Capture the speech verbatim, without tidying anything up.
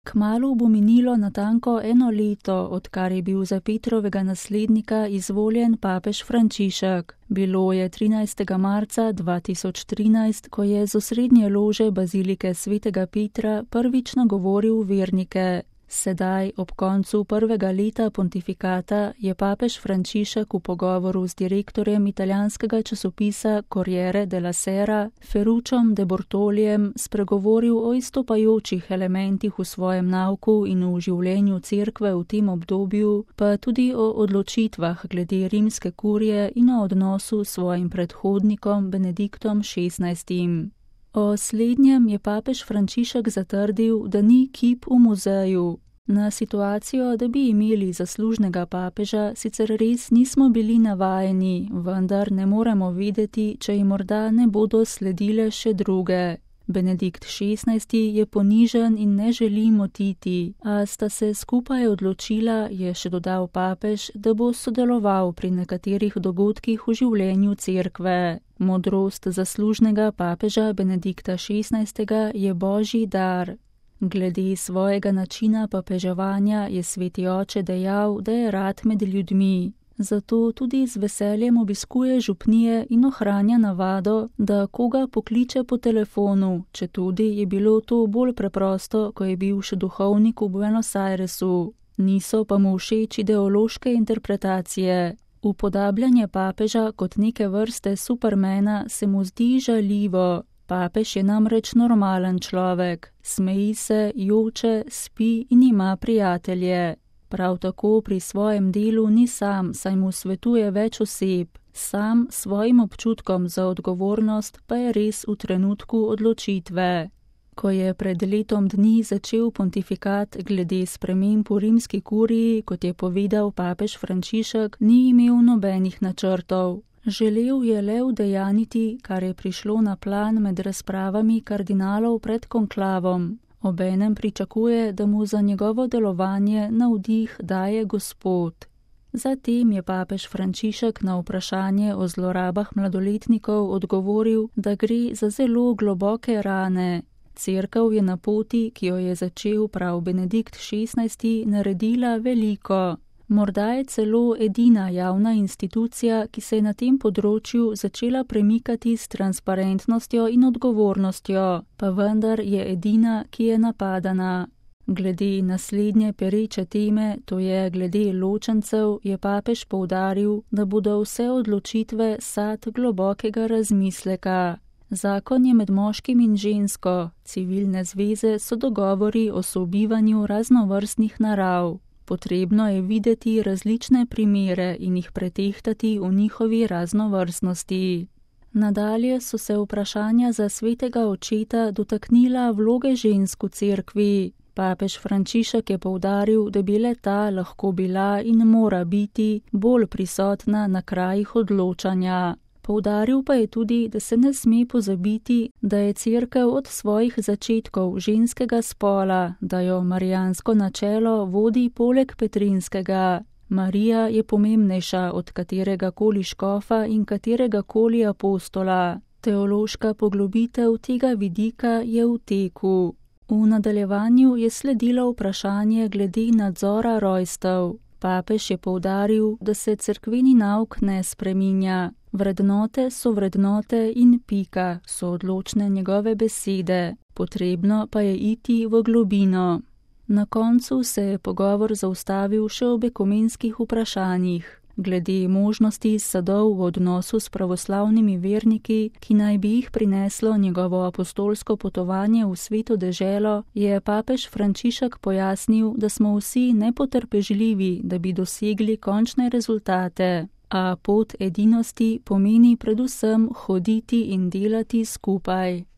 Kmalu bo minilo natanko eno leto, odkar je bil za Petrovega naslednika izvoljen papež Frančišek. Bilo je trinajstega marca dva tisoč trinajst, ko je z osrednje lože bazilike svetega Petra prvič nagovoril vernike. Sedaj, ob koncu prvega leta pontifikata, je papež Frančišek v pogovoru z direktorjem italijanskega časopisa Corriere della Sera, Ferrucciom de Bortolijem, spregovoril o izstopajočih elementih v svojem nauku in v življenju cerkve v tem obdobju, pa tudi o odločitvah glede rimske kurije in o odnosu s svojim predhodnikom Benediktom šestnajstim. O slednjem je papež Frančišek zatrdil, da ni kip v muzeju. Na situacijo, da bi imeli zaslužnega papeža, sicer res nismo bili navajeni, vendar ne moremo vedeti, če ji morda ne bodo sledile še druge. Benedikt šestnajsti je ponižen in ne želi motiti, a sta se skupaj odločila, je še dodal papež, da bo sodeloval pri nekaterih dogodkih v življenju cerkve. Modrost zaslužnega papeža Benedikta šestnajstega je božji dar. Glede svojega načina papeževanja je sveti oče dejal, da je rad med ljudmi. Zato tudi z veseljem obiskuje župnije in ohranja navado, da koga pokliče po telefonu, četudi je bilo to bolj preprosto, ko je bil še duhovnik v Buenos Airesu. Niso pa mu všeč ideološke interpretacije. Upodabljanje papeža kot neke vrste supermena se mu zdi žaljivo. Papež je namreč normalen človek, smeji se, joče, spi in ima prijatelje. Prav tako pri svojem delu ni sam, saj mu svetuje več oseb. Sam svojim občutkom za odgovornost pa je res v trenutku odločitve. Ko je pred letom dni začel pontifikat glede sprememb v rimski kuriji, kot je povedal papež Frančišek, ni imel nobenih načrtov. Želel je le udejaniti, kar je prišlo na plan med razpravami kardinalov pred konklavom. Obenem pričakuje, da mu za njegovo delovanje navdih daje Gospod. Zatem je papež Frančišek na vprašanje o zlorabah mladoletnikov odgovoril, da gre za zelo globoke rane. Cerkev je na poti, ki jo je začel prav Benedikt šestnajsti, naredila veliko. Morda je celo edina javna institucija, ki se je na tem področju začela premikati s transparentnostjo in odgovornostjo, pa vendar je edina, ki je napadana. Glede naslednje pereče teme, to je glede ločencev, je papež poudaril, da bodo vse odločitve sad globokega razmisleka. Zakon je med moškim in žensko, civilne zveze so dogovori o sobivanju raznovrstnih narav. Potrebno je videti različne primere in jih pretehtati v njihovi raznovrstnosti. Nadalje so se vprašanja za svetega očeta dotaknila vloge žensk v cerkvi. Papež Frančišek je poudaril, da bi le ta lahko bila in mora biti bolj prisotna na krajih odločanja. Poudaril pa je tudi, da se ne sme pozabiti, da je cerkev od svojih začetkov ženskega spola, da jo marijansko načelo vodi poleg petrinskega. Marija je pomembnejša od katerega koli škofa in katerega koli apostola. Teološka poglobitev tega vidika je v teku. V nadaljevanju je sledilo vprašanje glede nadzora rojstev. Papež je poudaril, da se cerkveni nauk ne spreminja. Vrednote so vrednote in pika, so odločne njegove besede. Potrebno pa je iti v globino. Na koncu se je pogovor zaustavil še ob ekumenskih vprašanjih. Glede možnosti sadov v odnosu s pravoslavnimi verniki, ki naj bi jih prineslo njegovo apostolsko potovanje v sveto deželo, je papež Frančišek pojasnil, da smo vsi nepotrpežljivi, da bi dosegli končne rezultate, a pot edinosti pomeni predvsem hoditi in delati skupaj.